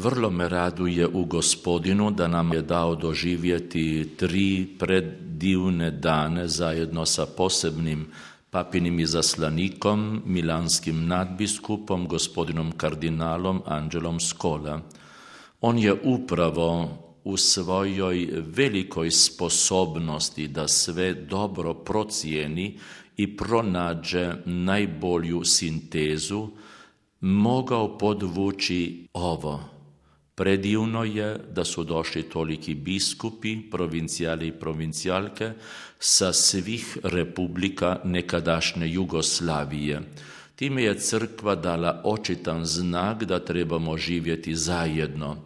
Vrlo me raduje u Gospodinu da nam je dao doživjeti 3 predivne dane zajedno sa posebnim papinim izaslanikom, milanskim nadbiskupom, gospodinom kardinalom Anđelom Scola. On je upravo u svojoj velikoj sposobnosti da sve dobro procijeni i pronađe najbolju sintezu, mogao podvući ovo. Predivno je da su došli toliki biskupi, provincijali i provincijalke sa svih republika nekadašnje Jugoslavije. Time je crkva dala očitan znak da trebamo živjeti zajedno.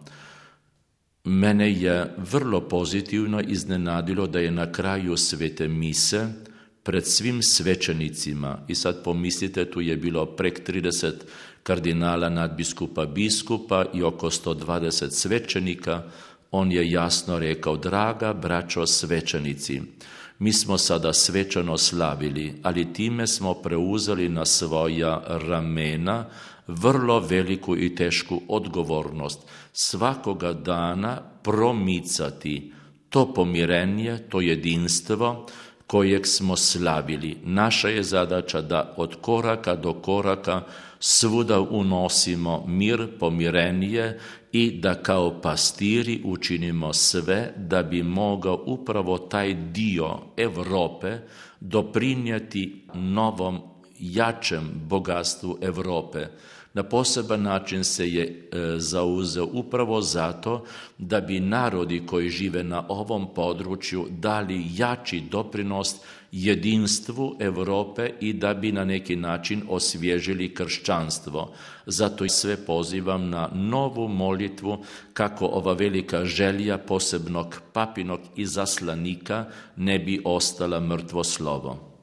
Mene je vrlo pozitivno iznenadilo da je na kraju svete mise pred svim svećenicima, i sad pomislite, tu je bilo prek 30 kardinala, nadbiskupa, biskupa i oko 120 svećenika, on je jasno rekao: draga braćo svećenici, mi smo sada svečano slavili, ali time smo preuzeli na svoja ramena vrlo veliku i tešku odgovornost svakoga dana promicati to pomirenje, to jedinstvo kojeg smo slavili. Naša je zadaća da od koraka do koraka svuda unosimo mir, pomirenje i da kao pastiri učinimo sve da bi mogao upravo taj dio Europe doprinijeti novom, jačem bogatstvu Europe. Na poseban način se je zauzeo upravo zato da bi narodi koji žive na ovom području dali jači doprinos jedinstvu Europe i da bi na neki način osvježili kršćanstvo. Zato i sve pozivam na novu molitvu kako ova velika želja posebnog papinog izaslanika ne bi ostala mrtvo slovo.